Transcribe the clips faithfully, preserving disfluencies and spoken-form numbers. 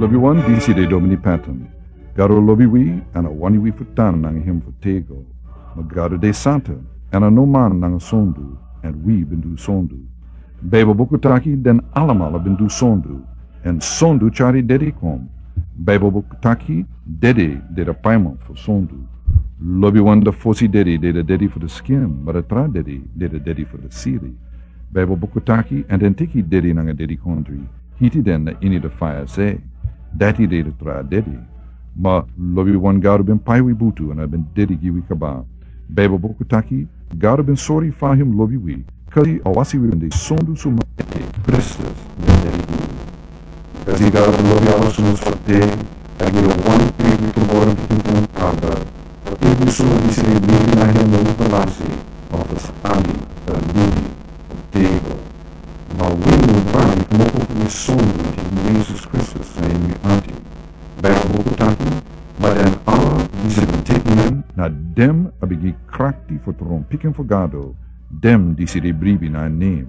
Lobiwan, disi de Domini Patton. Gado lobi wi, èn a wani wi fu tan nanga hem fu tego. Ma Gado de santa, èn a no man nanga sondu, èn wi ben du sondu. Baibel buku taki den alamala ben du sondu, èn sondu tyari dede kon. Baibel buku taki dede de a paiman fu sondu. Lobiwan, a fosi dede de a dede fu a skin, ma a tra dede de a dede fu a sili. Baibel buku taki, èn den teki dede nanga dedikondre, hiti den na ini a faya se. Dati de a tra dede. Ma lobiwan, Gado ben pai wi butu èn a ben dede gi wi kaba. Baibel buku taki, Gado ben sori fa hem lobi wi, kasi a wasi wi ben de sondu suma ete Kristus ben dede gi wi. Kasi Gado lobi ala suma so te, a gi a wan pikin tumoro pikin fu en Abel, fu every suma disi e libi na hem no musu lasi, ma fu sa abi a libi fu tego. Ma wi no wani kmopo fu wi sondu, teki Yesus Kristus na ini wi ati. Baibel buku taki, ma den ala disi ben teki hem, na den a ben gi krakti fu tron pikin fu Gado, den disi e bribi na en nen.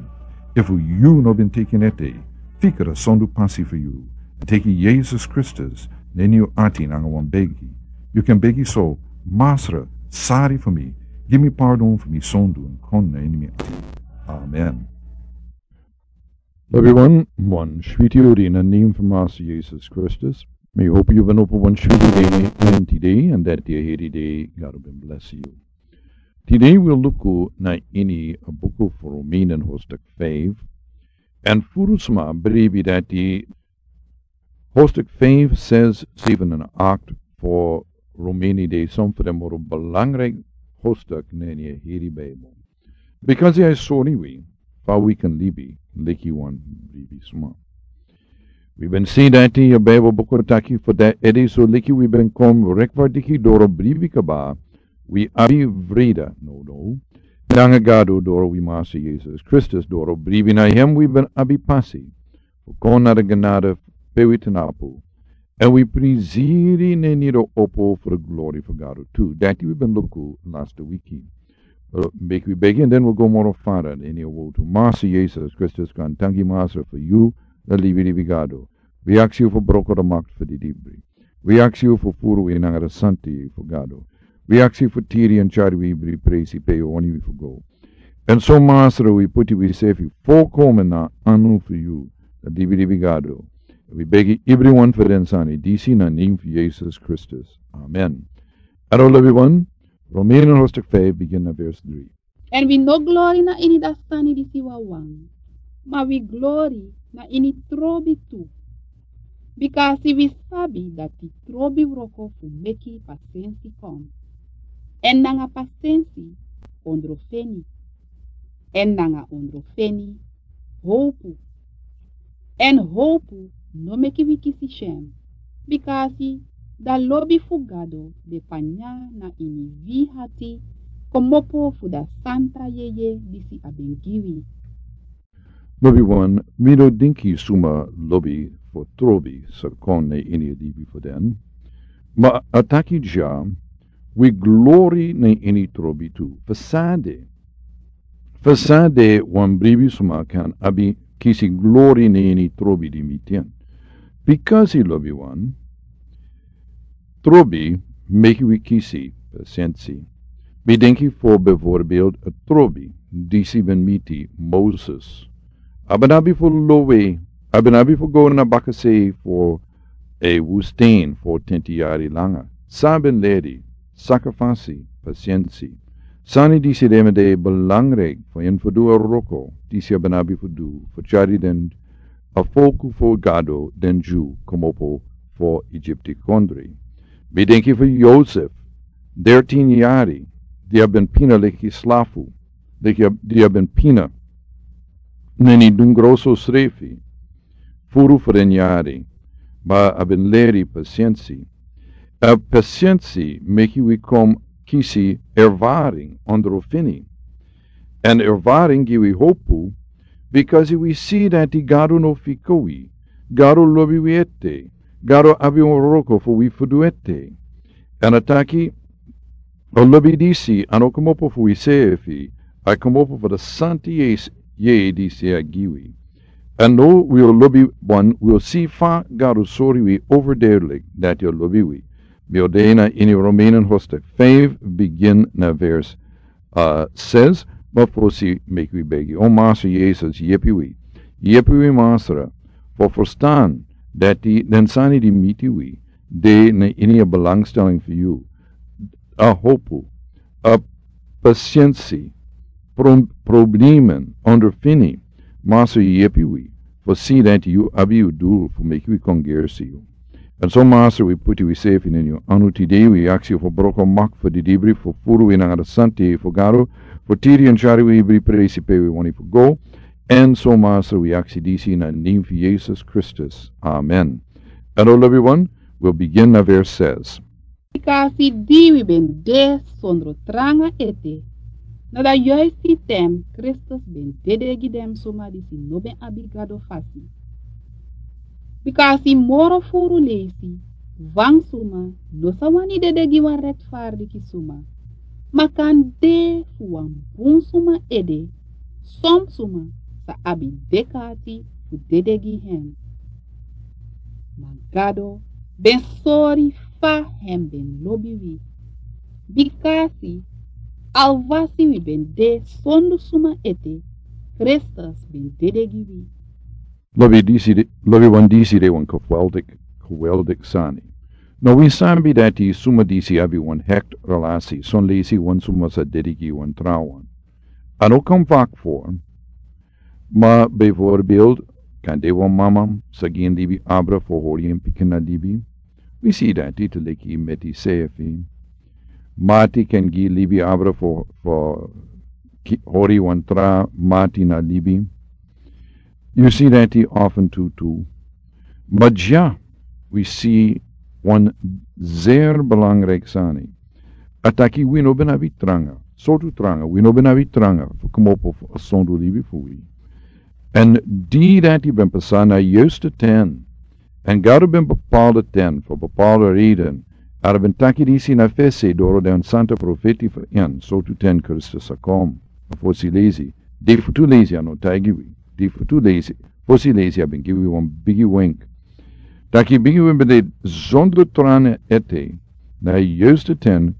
Efu yu no ben teki en ete, fika a sondu pasi fu yu, teki Yesus Kristus na ini yu ati nanga wan begi. Yu kan begi so: Masra, sori fu mi, gi mi pardon fu mi sondu, èn kon na ini mi ati. Amen. Lobiwan, wan switi odi na nen fu Masa Yesus Kristus. Mi hopu yu ben opo wan switi dei na ini tide, èn dati a heri dei, Gado ben blesi yu. Tide wi o luku na ini a buku fu Romeini hostak feifi. Èn furu sma bribi dati hostak feifi, ses, seven èn akt fu Romeini de son fu den moro belangrijk hostak na ini a heri Baibel. Bikasi a e sori wi fa wi kan libi leki wan bribi sma. Wi ben si dati a Baibel buku taki fu dati ede, so leki wi ben kon rekwardiki doro bribi kaba, wi abi vrede nodo nanga Gado doro wi Masa Yesus Kristus. Doro bribi na hem wi ben abi pasi fu kon na a genade pe wi tnapu, èn wi prisiri na ini a opo fu a glori fu Gado tu. Dati wi ben luku lasti wiki. Meki wi begi èn den wi go moro fara na ini a wotu. Masa Yesus Kristus, kon tanki Masra fu yu, a libilibi Gado. Wi aksi yu fu broko a makti fu didibri. Wi aksi yu fu furu wi nanga a santi fu Gado. Wi aksi yu fu tiri èn tyari wi ibri presi pe yu wani wi fu go. Èn so Masra, wi puti wi sefi folkomen na anu fu yu, a libilibi Gado. Wi begi ibriwan fu den sani disi na nen fu Yesus Kristus. Amen. Aro lobiwan, Romeini hostak feifi, bigin na vers dri. Èn wi no glori na ini a sani disi wawan, ma wi glori na ini trobi tu. Bikasi wi sabi dati trobi wroko fu meki pasensi kon. Èn nanga pasensi ondrofeni. Èn nanga ondrofeni howpu. Èn howpu no meki wi kisi syen, bikasi a lobi fu Gado de panya na ini wi ati, kmopo fu a santa yeye disi a ben gi wi. Lobiwan, mi no denki suma lobi fu trobi sa kon na ini a libi fu den. Ma a taki dya, wi glori na ini trobi tu. Fu san de, fu san de wan bribi sma kan abi kisi glori na ini trobi di mi tin? Bikasi lobiwan, trobi meki wi kisi pasensi. Mi denki fu bijvoorbeeld a trobi disi ben miti Moses. A ben abi fu lowe, a ben abi fu go na bakasei fu a wustijn fu tenti yari langa. San a ben leri? Sakrifisi, pasensi. Sani disi de mi de belangrijk fu en fu du a wroko disi a ben abi fu du, fu tyari den a folku fu Gado, den Dyu, kmopo fu Egipti kondre. Mi denki fu Yosef, dertien yari, di a ben pina leki slafu, leki a, di a ben pina na ini dungro srefi furu fu den yari, ma a ben leri pasensi. A pasensi meki wi kon kisi ervaring, ondrofeni. Èn ervaring gi wi howpu, bikasi wi si dati Gado no fika wi. Gado lobi wi ete. Gado abi wan wroko fu wi fu du ete. Èn a taki, a lobi disi a no kmopo fu wi sefi, a kmopo fu a santa yeye disi a gi wi. Èn now wi o lobi wan, wi o si fa Gado sori wi overduidelijk dati a lobi wi. Wi o de na ini Romeinen hoofdstuk vijf, begin na vers uh, zes, ma fosi meki wi begi. O Masra Yesus, yepi wi. Yepi wi Masra, fu ferstan dati den sani di miti wi de na ini a belangstelling fu yu. A hopu, a pasiensi, pro problemen, ondervinding, Masra yepi wi, fu si dati yu abi yu dul fu meki wi kon gersi yu. Èn so Masra wi puti wi sefi na yu anu tide, wi aksi yu fu broko mak fu di dibri fu furu wi nanga di santa fu Gado, fu tiri èn tyari wi ibri presi pe wi wani fu go. Èn so Masra wi aksi disi na nen fu Yesus Kristus. Amen. Èn o lobi wan, wi o begin na vers zes. Bikasi di wi ben de sondro tranga ete, na da yuisti ten Kristus ben dede gi den suma disi no ben abi Gado fasi. Bikasi moro furu leisi, wan suma no sa wani dede gi wan rechtvaardige suma, ma kande fu wan bun suma ede, son suma sa abi dek'ati fu dede gi hen. Ma Gado ben sori fa hen ben lobi wi. Bikasi alwasi wi ben de sondu suma ete, Kristus ben dede gi wi. Lobi disi de, lobi wan disi de wan geweldig, geweldig sani. No wi sabi dati suma disi abi wan hecht relasi, son leisi wan suma sa dede gi wan tra wan. A no kan vak voor, ma bijvoorbeeld, kande wan mama sa gi en libi abra fu hori en pikin na libi. Wi si dati te leki meti sefi. Mati kan gi libi abra fu, fu ki-, hori wan tra mati na libi. Yu si dati af en toe tu. Ma dya, wi si wan zeer belangrijk sani. A taki wi no ben abi tranga. Sortu tranga, wi no ben abi tranga fu komopo fu a sondu libi fu wi. Èn di dati ben pasa na yuiste ten. Èn Gado ben bepaalde ten, fu bepaalde reden. A ben taki disi na fesi doro den santa profeti fu en, sortu ten Kristus sa kom. A fosi leisi. Di fu tu leisi a no taigi wi. Di fu tu leisi. Fosi leisi a ben gi wi wan bigi wink. Taki bigi wink ben de zonder tranga ete. Na yuiste ten,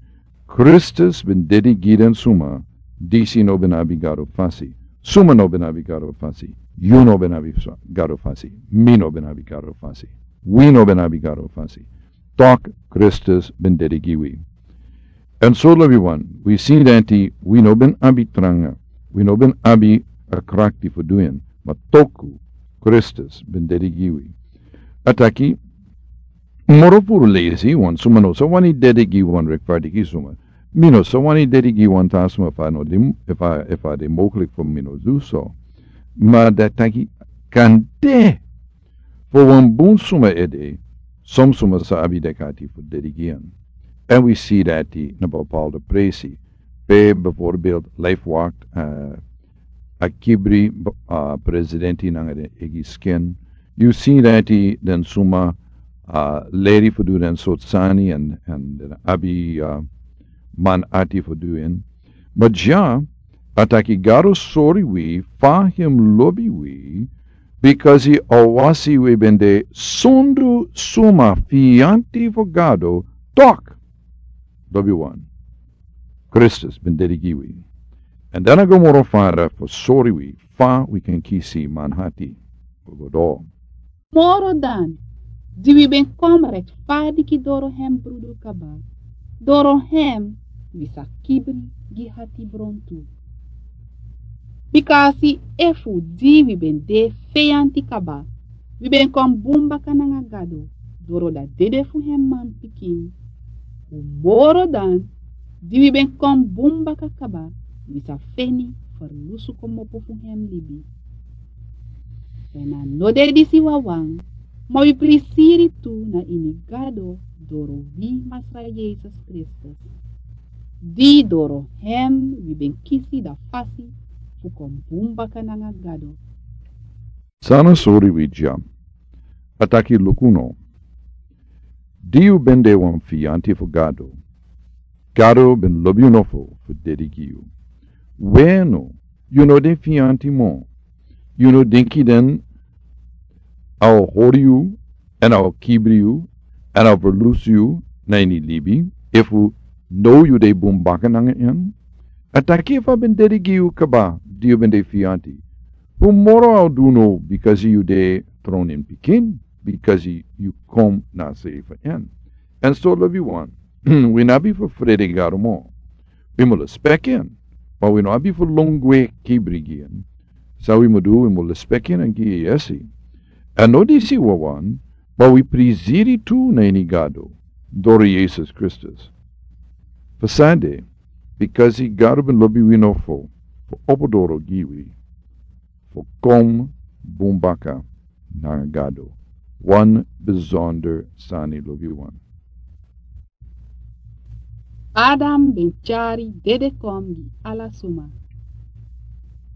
Kristus ben dede gi den suma, disi no ben abi Gado fasi. Suma no ben abi Gado fasi. Yu no ben abi fa-, Gado fasi. Mi no ben abi Gado fasi. Wi no ben abi Gado fasi. Tok Kristus ben dede gi wi. Èn so lobi wan, wi si dati wi no ben abi tranga. Wi no ben abi a krakti fu du en. Ma toku Kristus ben dede gi wi. A taki, moro furu leisi, wan suma no sa wani dede gi wan rechtvaardige suma. Mi no sa wani dede gi wan tra suma efu a no de, efu a, efu a de mogelijk fu mi no du so. Ma dati taki kande fu wan bun suma ede, son suma sa abi dek'ati fu dede gi en. Èn wi si dati na bepaalde presi. Pe bijvoorbeeld Life Walk, eh, a kibri, eh, presidenti nanga den eigi skin. Yu si dati den suma, eh, leri fu du den sortu sani èn, èn den abi, eh, man ati fu du en. Ma dya, a taki Gado sori wi, fa hem lobi wi, bikasi alwasi wi ben de sondu suma fianti fu Gado, tok. Lobi wan. Kristus ben dede gi wi. Èn dan a go moro fara fu sori wi fa wi kan kisi manhati fu go doro. Moro dan, di wi ben kon rechtvaardige doro hem brudu kaba, doro hem wi sa kibri gi hati bron tu. Bikasi efu di wi ben de feyanti kaba, wi ben kon bun baka nanga Gado, doro a dede fu hem manpikin. Moro dan, di wi ben kon bun baka kaba, wi sa feni ferlusu komopo fu hem libi. Èn a no de disi wawan, ma wi prisiri tu na ini Gado doro wi Masra Yesus Kristus. Di doro hem wi ben kisi a fasi fu kon bun baka nanga Gado. San a sori wi dya. A taki luku no. Di yu ben de wan fianti fu Gado, Gado ben lobi yu nofu fu dede gi yu. We no, yu no de fianti mo. Yu no denki den a o hori yu, èn a o kibri yu, èn a o ferlusu yu na ini libi, efu now yu de bun baka nanga en. A taki efu a ben dedi gi yu kaba di yu ben de fianti, fu moro a o du now, bikasi yu de tron in pikin, bikasi yu kon na a sei fu en. Èn so lobi wan, wi no abi fu frede Gado moro. Wi mu lespeki en, ma wi no abi fu lon gwe kibri gi en. San wi mu du, wi mu lespeki en èn gi en yesi. Èn no disi wawan, ma wi prisiri tu na ini Gado, doro Yesus Kristus. Fu san de, bikasi Gado ben lobi wi nofo, fu opo doro gi wi, fu kon bun baka nanga Gado. Wan besonder sani lobi wan. Adam ben tyari dede kon gi ala suma.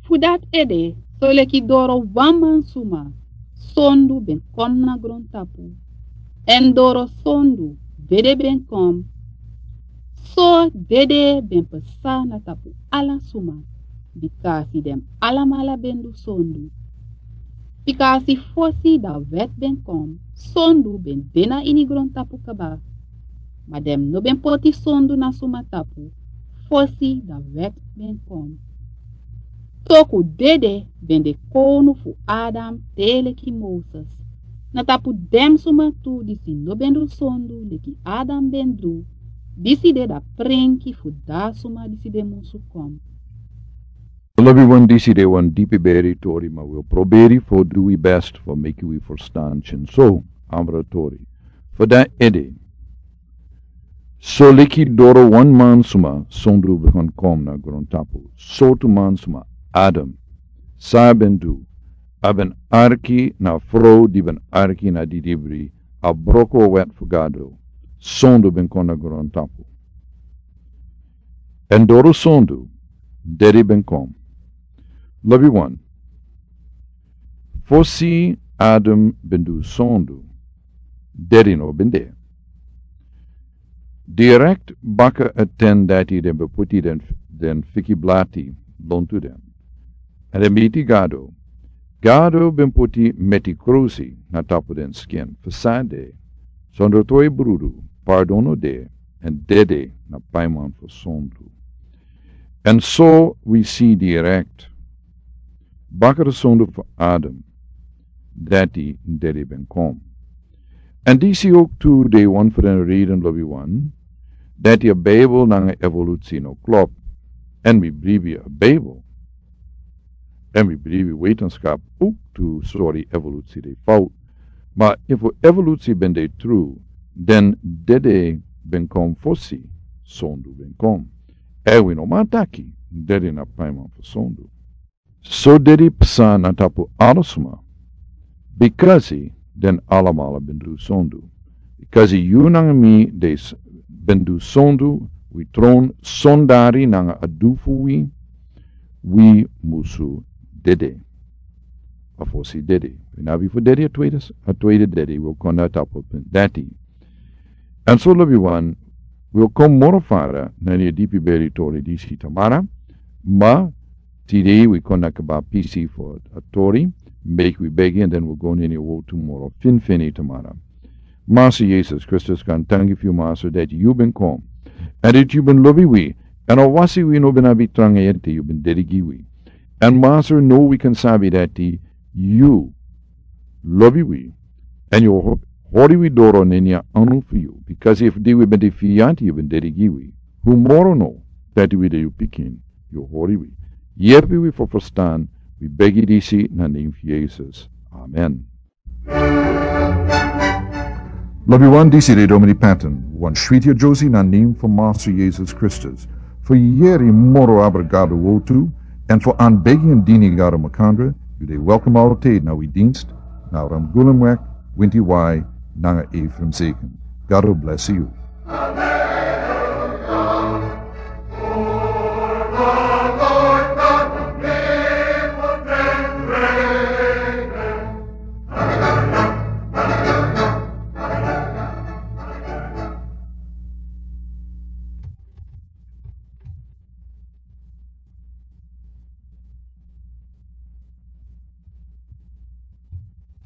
Fu dati ede, soleki doro wan man suma, sondu ben kon na grontapu. Èn doro sondu, dede ben kon. So dede ben pasa na tapu ala suma, bikasi den alamala ben du sondu. Bikasi fosi dan wet ben kon, sondu ben de na ini grontapu kaba. Ma den no ben poti sondu na suma tapu, fosi dan wet ben kon. Toku dede ben de kownu fu Adam te leki Moses. Na tapu den suma tu disi no ben du sondu leki Adam ben du, disi de a prenki fu a suma disi ben musu kon. Lobi wan, disi de wan dipi beri tori, ma wi o proberi fu du wi best fu meki wi ferstan tyen so, abra tori. Fu dati ede, soleki doro wan man suma sondu ben kon na grontapu. Sortu man suma? Adam. San a ben du? A ben arki na a frow di ben arki na didibri, a broko a wet fu Gado. Sondu ben kon na grontapu. Èn doro sondu, dede ben kon. Lobi wan, fosi Adam ben du sondu, dede no ben de. Direkt baka a ten dati den ben poti den, den fiki blati lontu den. Èn den miti Gado. Gado ben poti meti krusi na tapu den skin. Fu san de, sondro twe brudu, pardon no de, èn dede na paiman fu sondu. Èn so wi si direkt, baka a sondu fu Adam, dati dede ben kon. Èn disi ook tu de wan fu den reden lobi wan, dati a Bijbel nanga evolusi no klop. Èn wi bribi a Bijbel. Èn wi bribi wetenschap ook tu sori evolusi de fout. Ma efu evolusi ben de tru, dan dede ben kon fosi sondu ben kon. Èn wi no man taki, dede na paiman fu sondu. So dede psa na tapu ala suma, bikasi den alamala ben du sondu. Bikasi yu nanga mi de s-, ben du sondu, wi tron sondari nanga a du fu wi, wi musu dede. A fosi dede. Wi no abi fu dede a tweede s-, a tweede dede, wi o kon na tapu fu dati. Èn so lobi wan, wi o kon moro fara na ini a dipi beri tori disi tamara, ma tide wi kon na kaba pisi fu a tori, meki wi begi, èn den wi o go na ini a wortu moro finfini tamara. Masa Yesus Kristus, wi e danki fu yu, Masa, dati yu ben kon. Èn dati yu ben lobi wi, èn awasi wi no ben abi tranga ete, yu ben dede gi wi. Èn Masa, now wi kan sabi dati yu lobi wi, èn yu o ho-, hori wi doro na ini a anu fu yu. Bikasi efu di wi ben de fianti, yu ben dede gi wi. Fu moro now dati wi de yu pikin, yu o hori wi. Yepi wi fu ferstan, wi begi disi na nen fu Yesus. Amen. Lobi wan, disi de Domini Patton, wan switi adyusi na nen fu Masa Yesus Kristus. Fu yere moro abra Gado wortu, èn fu anbegi èn dini Gado makandra, yu de welkom altijd na wi dienst, na Ramgulemweg, winti wai, nanga Ephraim Zeken. Gado blesi yu.